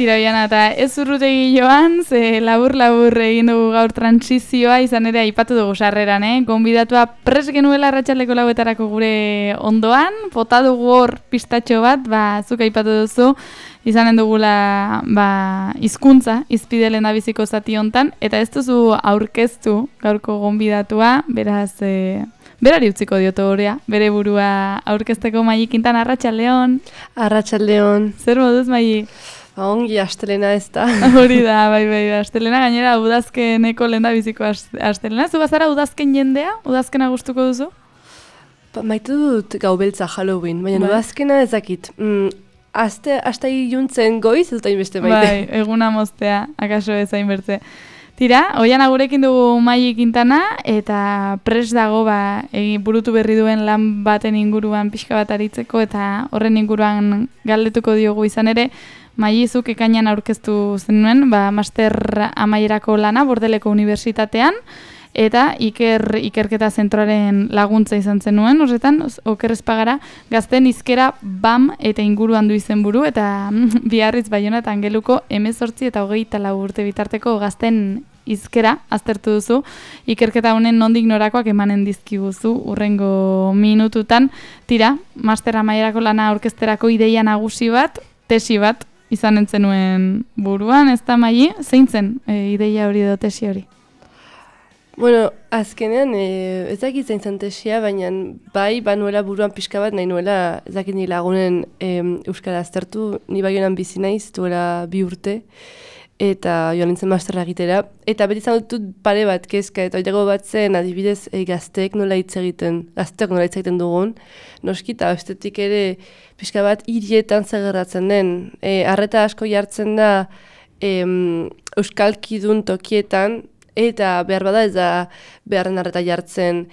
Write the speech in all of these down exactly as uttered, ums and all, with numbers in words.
Tira Oiana, eta ez urrutegi joan, ze labur-labur egin dugu gaur transizioa, izan ere aipatu dugu sarreran, eh? Gonbidatua pres genuela arratsaldeko lauetarako gure ondoan, bota dugu hor pistatxo bat, ba, zuk aipatu duzu, izanen dugula ba, hizkuntza izpide lehendabiziko zati hontan, eta ez duzu aurkeztu gaurko gonbidatua, beraz, e, berari utziko dioto horea, bere burua aurkezteko Maili Quintana. Arratsaldeon. Arratsaldeon. Zer moduz, Maili? Ongi, astelena ez da. Hori da, bai, bai, astelena gainera udazkeneko lehendabiziko astelena. Zu bazara udazken jendea? Udazkena gustuko duzu? Ba, maite dut gau beltza Halloween, baina bai. Udazkena ezakit. Mm, aste, aste iluntzen goiz ez da inbeste maite. Bai, eguna moztea, akaso ezain bertze. Tira, Oiana gurekin dugu Maili Quintana, eta pres dago ba, egi, burutu berri duen lan baten inguruan pixka bat aritzeko, eta horren inguruan galdetuko diogu izan ere, Maili, zuk ekainan aurkeztu zenuen, ba, master amaierako lana Bordeleko Unibertsitatean, eta iker, ikerketa zentroaren laguntza izan zenuen, horretan, oker espagara, gazten hizkera B A M eta inguruan du izenburu, eta Biarritz, Baiona eta Angeluko hemezortzi eta hogeita lau urte bitarteko gazten hizkera aztertu duzu, ikerketa honen nondik norakoak emanen dizkiguzu urrengo minututan. Tira, master amaierako lana aurkezterako ideia nagusi bat, tesi bat, izan entzenuen buruan, ez da Maili, zein zen e, ideia hori edo tesi hori? Bueno, azkenean, e, ez dakit zein zen tesia, baina bai, banuela buruan pixka bat, nahi nuela, ez dakit ni lagunen e, euskara aztertu, ni Baionan bizi naiz, duela bi urte, eta joan nintzen masterra egitera, eta beti izan dut pare bat kezka, eta oidago bat zen, adibidez, e, gazteek nola hitz egiten, gazteak nola hitz egiten dugun, noski, eta bestetik ere, pixka bat hirietan zegerratzen den, e, arreta asko jartzen da e, euskalkidun tokietan, eta behar bada ez da beharren arreta jartzen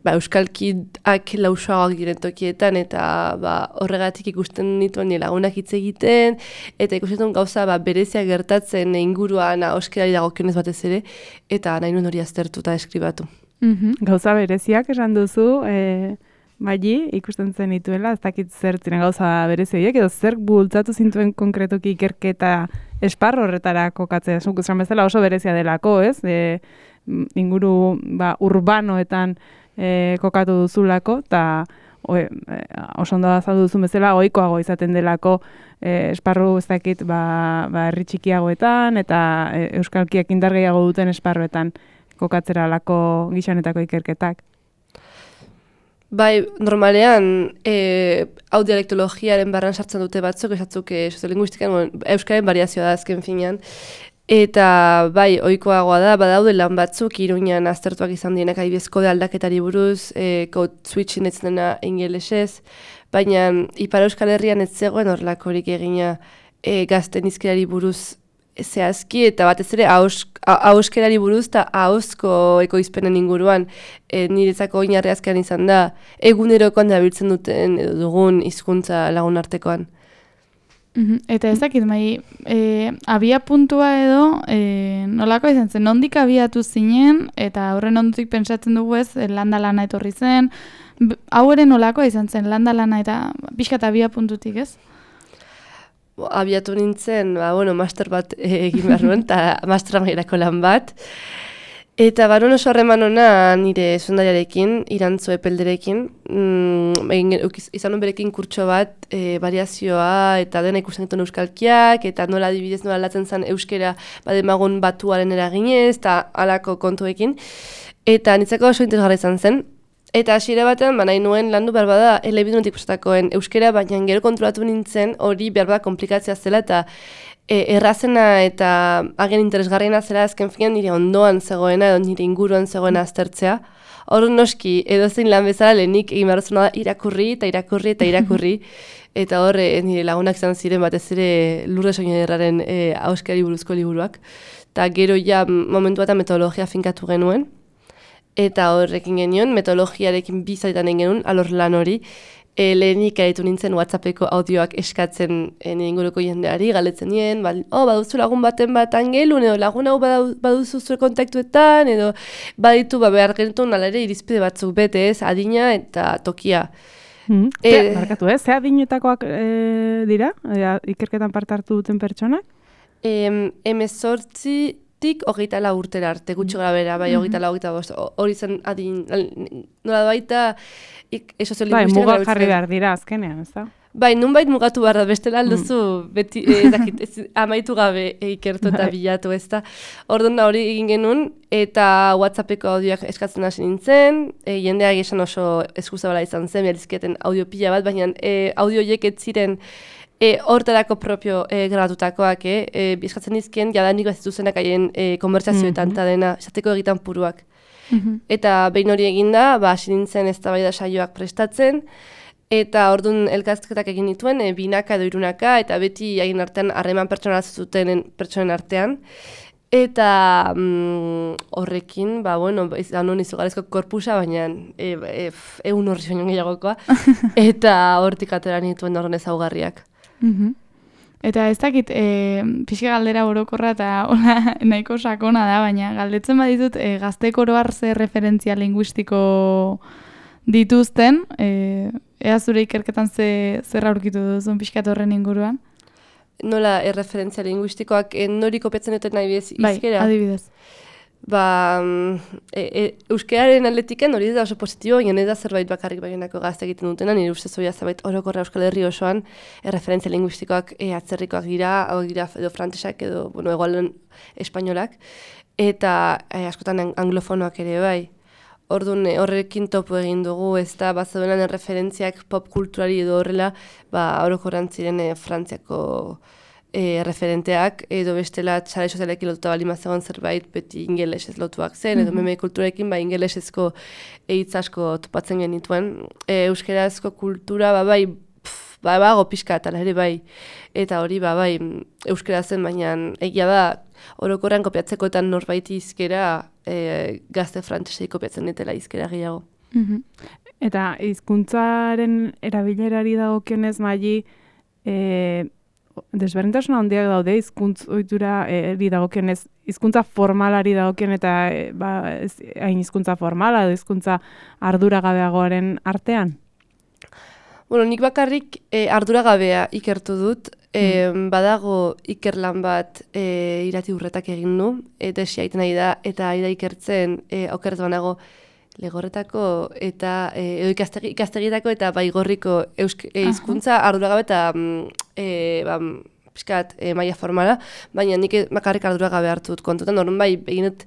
ba, euskalkiak lausoagoak diren tokietan, eta ba, horregatik ikusten nituen lagunak hitz egiten, eta ikusten duen gauza ba, berezia gertatzen inguruan ahoskerari dagokionez batez ere, eta nahi nuen hori aztertu eta eskribatu. Mm-hmm. Gauza bereziak esan duzu, e, Maili, ikusten zen dituela, ez dakit zer ziren gauza berezioiek, edo zer bultzatu zintuen konkretoki ikerketa esparro horretara kokatzea. Zuk esan bezala oso berezia delako, ez? E, inguru ba, urbanoetan e, kokatu duzulako, eta e, oso ondo azaldu duzun bezala, ohikoago izaten delako e, esparru ez dakit ba, ba, herri txikiagoetan, eta e, euskalkiak indar gehiago duten esparruetan kokatzera lako gixanetako ikerketak. Bai, normalean, e, hau dialektologiaren barran sartzen dute batzuk, esatzuk e, soziolinguistikan, bueno, euskaren variazioa da azken finean, eta bai, ohikoagoa da, badaude lan batzuk, Iruñan aztertuak izan dienak adibidez kode aldaketari buruz, e, code switching ez dena ingelesez, baina Ipar Euskal Herrian ez zegoen horrelakorik egina e, gazten hizkerari buruz zehazki, eta batez ere ahoskerari buruz eta ahozko ekoizpenen inguruan e, niretzako oinarri azkean izan da egunerokoan dabiltzen duten edo dugun hizkuntza lagun artekoan. Mm-hmm. Eta ez dakit, Maili, e, abia puntua edo e, nolako izan zen, nondik abiatu zinen, eta horren ondotik pentsatzen dugu ez, landa lana etorri zen, hau ere nolako izan zen, landa lana eta pixkat abia puntutik ez? Abiatu nintzen, ba, bueno, master bat egin behar nuen, eta master amaierako lan bat. Eta barun oso harreman ona nire zundariarekin, Irantzu Epelderekin, mm, egin, izan nuen berekin kurtso bat, e, variazioa eta dena ikusten dituen euskalkiak, eta nola adibidez nola aldatzen zen euskera bademagun batuaren eraginez, eta halako kontuekin. Eta nitzako oso interesgarria izan zen. Eta hasiera batean, ba, nahi nuen landu behar bada elebidunetik prestatakoen euskera, baina gero kontrolatu nintzen hori behar bada komplikatzea zela, eta e, errazena eta agen interesgarriena zela azken finean nire ondoan zegoena, edo nire inguruan zegoena aztertzea. Hor noski, edozein lan bezala lehenik egin behar zuna da irakurri eta irakurri eta irakurri, eta hor e, nire lagunak izan ziren batez ere Lurdes Oñaderraren e, ahoskari buruzko liburuak. Eta gero ja momentu bat metodologia finkatu genuen, eta horrekin genion, metodologiarekin bizaitan egin genuen, alor lan hori, e, lehenik aritu nintzen WhatsAppeko audioak eskatzen e, nire inguruko jendeari, galetzen nien, ba, oh, baduzu lagun baten bat Angelun, edo lagun hau baduzu zure kontaktuetan, edo baditu ba, behar genituen alare irizpide batzuk bete ez, adina eta tokia. Mm. E, Markatu ez, ze adinetakoak e, dira, e, ikerketan parte hartu duten pertsonak? em, emezortzitik hogeita lau urtera arte, gutxi gara bera, bai, hogeita lau, hogeita bost, hori zen adin, nola baita, ik, e, Bai, mugak jarri behar dira azkenean, ez da? Bai, nunbait mugatu behar da, bestela alduzu, mm. beti, ez dakit, ez, amaitu gabe ikertu eta bilatu, ez da. Orduan da hori egin genuen, eta WhatsAppeko audioak eskatzen hasi nintzen, e, jendeak esan oso eskuzabala izan zen, berizketen audio pila bat, baina e, audio horiek ez ziren e, hortarako propio e, grabatutakoak, e, e, eskatzen dizkien, jadanik bat zituzenak haien e, konbertsazioetan, eta mm -hmm. dena, esateko egitan puruak. Mm -hmm. Eta behin hori eginda, ba, hasi nintzen eztabaida saioak prestatzen, eta orduan elkarrizketak egin dituen, e, binaka edo irunaka, eta beti haien artean harreman pertsonala zuten pertsonen artean. Eta mm, horrekin, ba, bueno, izan hon izugarrizko korpusa, baina e, e, egun horri baino gehiagokoa, eta hortik atera nituen horren ezaugarriak. Mm-hmm. Eta ez dakit, e, pixka galdera orokorra eta hola, nahiko sakona da, baina galdetzen baditut e, gaztek oroar ze referentzia linguistiko dituzten, e, ea zure ikerketan ze, zer aurkitu duzun pixkat horren inguruan? Nola erreferentzia linguistikoak e, nori kopiatzen duten nahi bez izkera? Bai, adibidez. Ba, e, e, euskararen atletiken hori da oso positibo, baina ez da zerbait bakarrik baginako gazte egiten dutena, nire ustez hori zerbait orokorra Euskal Herri osoan erreferentzia linguistikoak e, atzerrikoak dira, hau dira edo frantsesak edo, bueno, egualen espainolak, eta e, askotan anglofonoak ere bai. Orduan horrekin topo egin dugu, ez da, bat zeudenan erreferentziak pop kulturari edo horrela, ba, orokorran ziren e, Frantziako e, referenteak, edo bestela txare sozialekin lotuta bali mazegoen zerbait, beti ingelesez lotuak zen, edo meme kulturekin, ba, ingelesezko hitz asko topatzen genituen. E, euskerazko kultura, ba, bai, pff, ba, bago pixka eta ere bai, eta hori, ba, bai, euskera zen, baina egia da, orokorrean kopiatzekoetan norbaiti izkera, e, gazte frantsesei kopiatzen ditela izkera gehiago. Mm-hmm. Eta hizkuntzaren erabilerari dagokionez, Maili, e, desberdintasun handiak daude hizkuntz ohitura eri dagokionez, hizkuntza formalari dagokion eta e, ba, ez, hain hizkuntza formala edo hizkuntza arduragabeagoaren artean? Bueno, nik bakarrik e, arduragabea ikertu dut, e, mm. badago ikerlan bat e, irati urretak egin du, eta esiaiten nahi da, eta ari da ikertzen e, okertu banago legorretako eta e, edo ikastegi, ikastegitako eta baigorriko eusk, e, hizkuntza arduragabe eta e, ba, pixkat e, maila formala, baina nik bakarrik arduragabe hartu dut kontutan, orduan bai, egin dut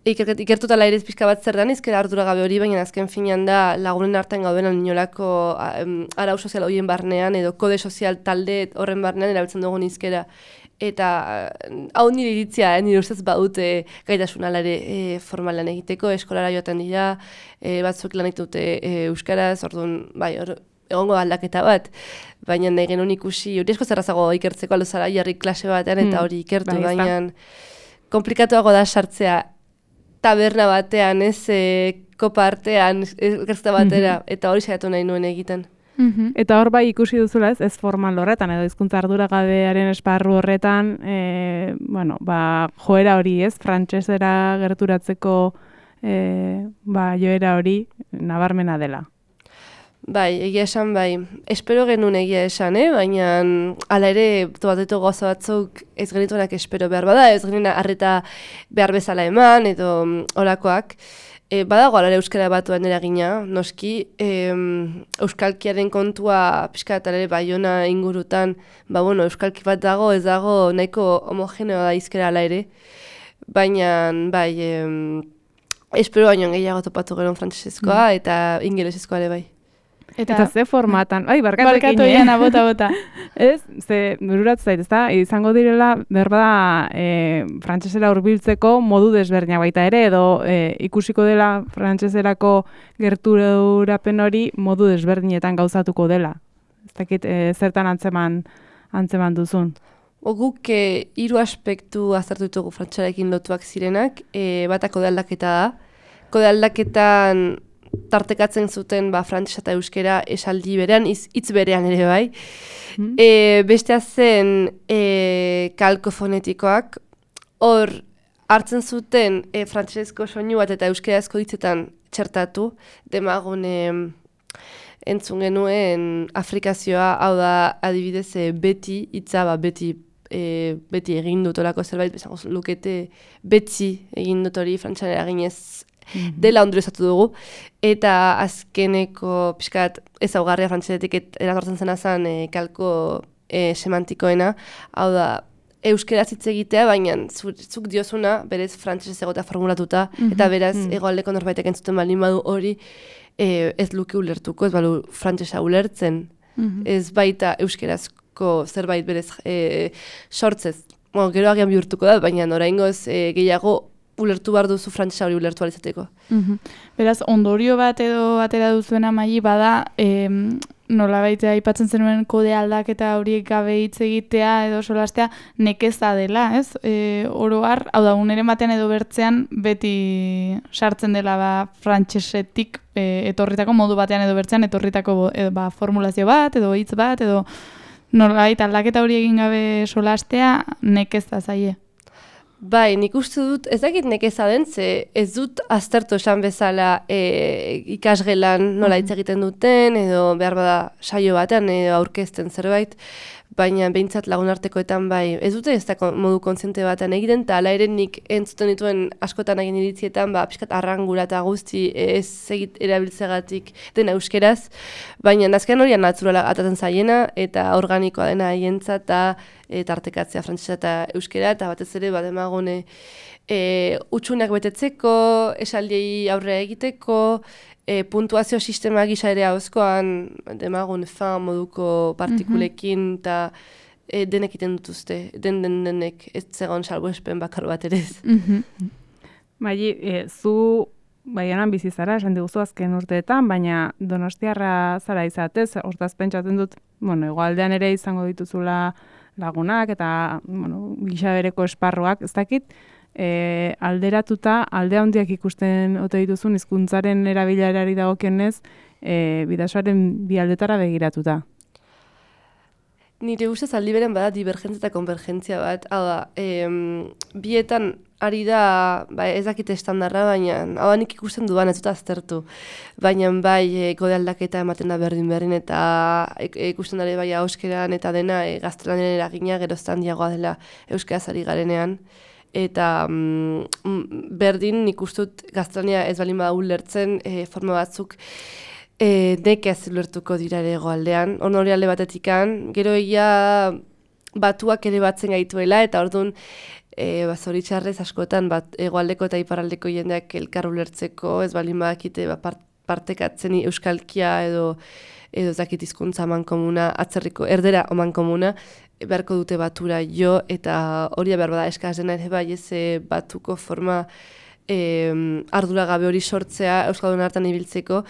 ikertuta lairez pixka bat zer dan izkera arduragabe hori, baina azken finean da lagunen artean gauden inolako um, arau sozial horien barnean edo kode sozial talde horren barnean erabiltzen dugun izkera. Eta hau nire iritzia, eh, nire ustez badute gaitasun alare e, formalan egiteko, eskolara joaten dira, e, batzuk lan egitute e, euskaraz, orduan, bai, or, egongo aldaketa bat, baina nahi genuen ikusi, hori esko zerrazago ikertzeko aluzara jarri klase batean eta hori ikertu, mm, baina komplikatuago da sartzea taberna batean, ez, e, kopa artean, gertzta batera, mm-hmm. eta hori saiatu nahi nuen egiten. Mm-hmm. Eta hor bai ikusi duzula ez, ez formal horretan, edo hizkuntza arduragabearen esparru horretan, e, bueno, ba, joera hori ez, frantsesera gerturatzeko e, ba, joera hori nabarmena dela. Bai, egia esan bai. Espero genuen egia esan, eh? Baina ala ere tobateto gauza batzuk ez genituenak espero behar bada, ez genuen arreta behar bezala eman, edo olakoak. E, badago alare euskara batuan eragina, noski, e, euskalkiaren kontua pixka eta ere Baiona ingurutan, ba bueno, euskalki bat dago, ez dago nahiko homogeneoa da izkera ala ere, baina bai, e, espero baino gehiago topatu gero frantsesezkoa mm. eta ingelesezkoa ere bai. Eta, eta ze formatan, ai, barkatu ekin, barkatu egin, bota, bota. Ez, ze, bururatu zait, ezta, izango direla, berba, e, frantsesera hurbiltzeko modu desberdinak baita ere, edo e, ikusiko dela frantseserako gerturapen hori modu desberdinetan gauzatuko dela. Ez dakit, e, zertan antzeman, antzeman duzun. Guk e, hiru aspektu aztertu ditugu frantsesarekin lotuak zirenak, e, bata kode aldaketa da. Kode aldaketan tartekatzen zuten ba, frantsesa eta euskera esaldi berean, hitz berean ere bai. Mm. E, bestea zen e, kalko fonetikoak, hor hartzen zuten e, frantsesezko soinu bat eta euskerazko hitzetan txertatu, demagun e, entzun genuen afrikazioa, hau da adibidez e, beti hitza, ba, beti e, beti egin dut olako zerbait, bezango lukete beti egin dut hori frantxan eraginez dela ondoriozatu dugu, eta azkeneko pixkat ezaugarria frantxetetik eratortzen zena zen e, kalko e, semantikoena, hau da, euskeraz hitz egitea, baina zuk diozuna, berez frantxez egotea formulatuta, mm-hmm. eta beraz mm-hmm. egoaldeko norbaitek entzuten baldin badu hori e, ez luke ulertuko, ez balu frantsesa ulertzen, mm-hmm. ez baita euskerazko zerbait berez e, sortzez. Bueno, gero agian bihurtuko da, baina oraingoz e, gehiago ulertu behar duzu frantsesa hori ulertu alizateko. Mm-hmm. Beraz, ondorio bat edo atera duzuena Maili bada, em, nola baitea aipatzen zenuen kode aldaketa horiek gabe hitz egitea edo solastea nekeza dela, ez? E, oro har, hau da, uneren batean edo bertzean beti sartzen dela ba, frantsesetik e, etorritako modu batean edo bertzean etorritako edo, ba, formulazio bat edo hitz bat edo nola baita aldaketa hori egin gabe solastea nekeza zaie. Bai, nik uste dut, ez dakit nekeza den, ze ez dut aztertu esan bezala e, ikasgelan nola hitz egiten duten, edo behar bada saio batean, edo aurkezten zerbait, baina behintzat lagunartekoetan bai, ez dute ez da modu kontziente batean egiten, eta ala ere nik entzuten dituen askotan egin iritzietan, ba, pixkat arrangura eta guzti ez egit erabiltzegatik dena euskeraz, baina azkenean hori naturala atatzen zaiena, eta organikoa dena haientzat, eta e, tartekatzea frantsesa eta euskera, eta batez ere bat emagone e, utxunak betetzeko, esaldiei aurrea egiteko, e, puntuazio sistema gisa ere hauzkoan, demagun fan moduko partikulekin, eta e, denek iten dutuzte, den den denek ez zegoen salbuespen bakar bat ere ez. Mm-hmm. Maili, e, zu Baianan bizi zara, esan diguzu azken urteetan, baina donostiarra zara izatez, hortaz pentsatzen dut, bueno, igualdean ere izango dituzula lagunak eta bueno, gisa bereko esparruak, ez dakit, e, alderatuta, alde handiak ikusten ote dituzun hizkuntzaren erabilerari dagokionez, e, bidasoaren bi aldetara begiratuta. Nire ustez aldi beren bada divergentzia eta konvergentzia bat, hau da, em, bietan ari da, ba, ez dakite estandarra, baina hau da nik ikusten duan ez dut aztertu, baina bai e, kode aldaketa ematen da berdin berdin eta e, ikusten dara bai euskeran eta dena e, gaztelaniaren eragina geroztan diagoa dela euskeraz ari garenean. Eta mm, berdin nik ustut gaztelania ez balin bada ulertzen e, forma batzuk E, nekez ulertuko dira ere egoaldean, hori alde batetikan, gero egia batuak ere batzen gaituela, eta orduan e, ba, zoritxarrez askotan bat, egoaldeko eta iparraldeko jendeak elkar ulertzeko, ez balin badakite ba, part, partekatzen euskalkia edo edo zakit hizkuntza amankomuna, atzerriko erdera amankomuna, beharko dute batura jo, eta hori behar bada eskaz dena ere bai ez batuko forma e, arduragabe hori sortzea euskaldun hartan ibiltzeko.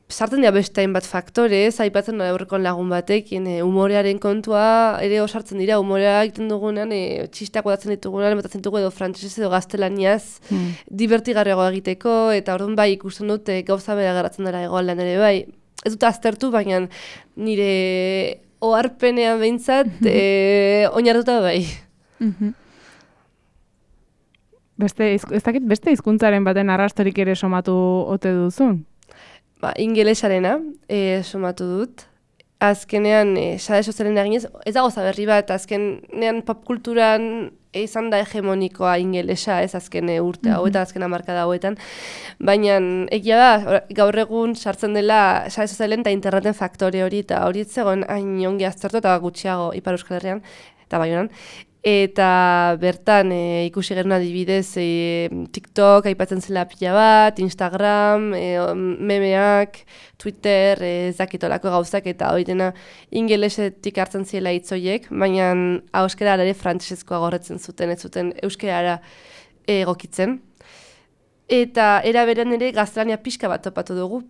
Sartzen dira beste hainbat faktorez, aipatzen da aurrekon lagun batekin, e, umorearen kontua ere osartzen dira, umorea egiten dugunean, e, txisteak odatzen ditugunean, ematatzen dugu edo frantsesez edo gaztelaniaz, hmm. divertigarriago egiteko, eta orduan bai ikusten dute gauza bera geratzen dara egoaldean ere bai. Ez dut aztertu, baina nire oharpenean behintzat, e, oinartuta bai. Beste, ez dakit beste hizkuntzaren baten arrastorik ere somatu ote duzun? Ba, ingelesarena e, somatu dut. Azkenean, e, sare sozialen eginez, ez dago zaberri bat, azkenean popkulturan izan da hegemonikoa ingelesa, ez azken urte hau eta azken hamarkada hauetan. Baina egia da, gaur egun sartzen dela sare sozialen eta interneten faktore hori, eta hori ez zegoen hain ongi aztertu eta gutxiago Ipar Euskal Herrian, eta Baionan. Eta bertan e, ikusi genuen adibidez e, TikTok aipatzen zela pila bat, Instagram, e, memeak, Twitter, ez dakitolako gauzak eta hori dena ingelesetik hartzen ziela hitzoiek, baina euskara ere frantsesezkoa gorretzen zuten, ez zuten euskarara egokitzen. Eta era berean ere gaztelania pixka bat topatu dugu.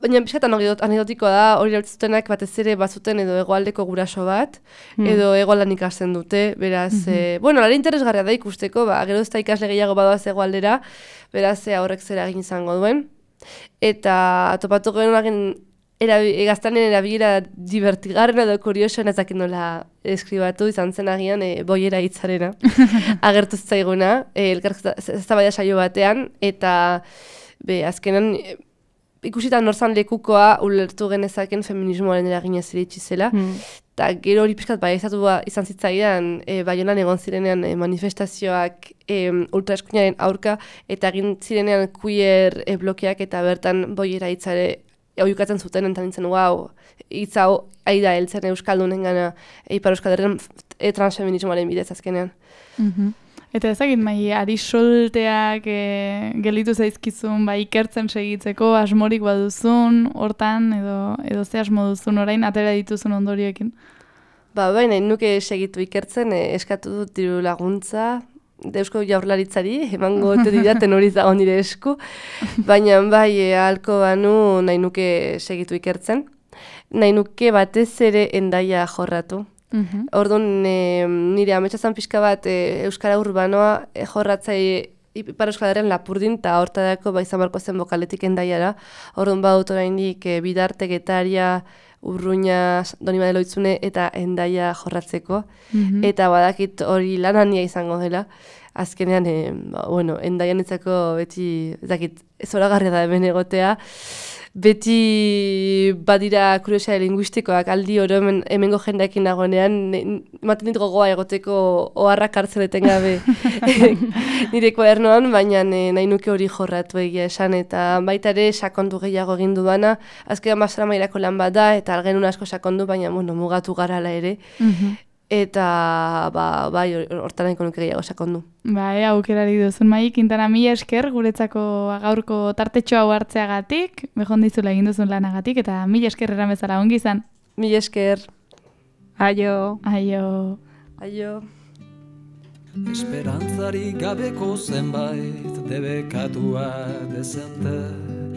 Baina pixkatan anekdotikoa da, hori erabiltzutenak batez ere bazuten edo hegoaldeko guraso bat, mm. edo hegoaldan ikasten dute, beraz, mm-hmm. e, bueno, lare interesgarria da ikusteko, ba, gero ez da ikasle gehiago badoaz hegoaldera, beraz, e, horrek zera egin izango duen. Eta topatu genuen gaztanen erabilera divertigarren edo kuriosoen ez dakit nola eskribatu izan zen agian e, boiera hitzarena, agertu zaiguna, e, elkarrizketa eztabaida saio batean, eta be, azkenan, ikusita norzan lekukoa ulertu genezaken feminismoaren eraginez iritsi zela. Eta mm. gero hori pixkat baieztatua izan zitzaidan, e, Baionan egon zirenean e, manifestazioak e, ultraeskuinaren aurka, eta egin zirenean queer e, blokeak eta bertan boiera hitzare oiukatzen zuten, eta nintzen, wow, hitz hau aida heltzen euskaldunen gana e, Ipar Euskal Herrian e, transfeminismoaren bidez azkenean. Mm-hmm. Eta ezagit, mai, ari solteak e, gelitu zaizkizun, bai, ikertzen segitzeko, asmorik baduzun, hortan, edo, edo ze asmo duzun, orain atera dituzun ondorioekin? Ba, bai, nahi nuke segitu ikertzen, e, eskatu dut diru laguntza, Eusko Jaurlaritzari, emango ote didaten hori zago nire esku, baina bai, e, ahalko banu nahi nuke segitu ikertzen, nahi nuke batez ere Hendaia jorratu. Mm-hmm. Orduan, e, nire ametxazan pixka bat e, Euskara Urbanoa e, jorratzai Ipar Euskal Herrian Lapurdin eta hortadako ba izan barko zen bokaletik Hendaiara. Orduan badut oraindik e, Bidarte, Getaria, Urruña, Donibane Loitzune eta Hendaia jorratzeko. Mm-hmm. Eta badakit hori lan handia izango dela. Azkenean, e, ba, bueno, Hendaian etzako beti, ezakit, zoragarria da hemen egotea. Beti badira kuriosia linguistikoak aldi oro hemen, hemengo jendeekin nagoenean, ematen dit gogoa egoteko oharrak hartzen etengabe nire kuadernoan, baina nahi nuke hori jorratu egia esan, eta baita ere sakondu gehiago egin dudana, azkenean Mastera mailako lan bat da, eta algenun asko sakondu, baina bueno, mugatu garala ere. Mm-hmm. Eta ba, bai, hortan nahiko nuke gehiago sakondu. Bai, aukerari duzun Mai, Quintana, mila esker guretzako gaurko tartetxo hau hartzeagatik, behon dizula egin duzun lanagatik, eta mila esker eran bezala ongi izan. Mila esker. Aio. Aio. Aio. Esperantzari gabeko zenbait debekatua dezente.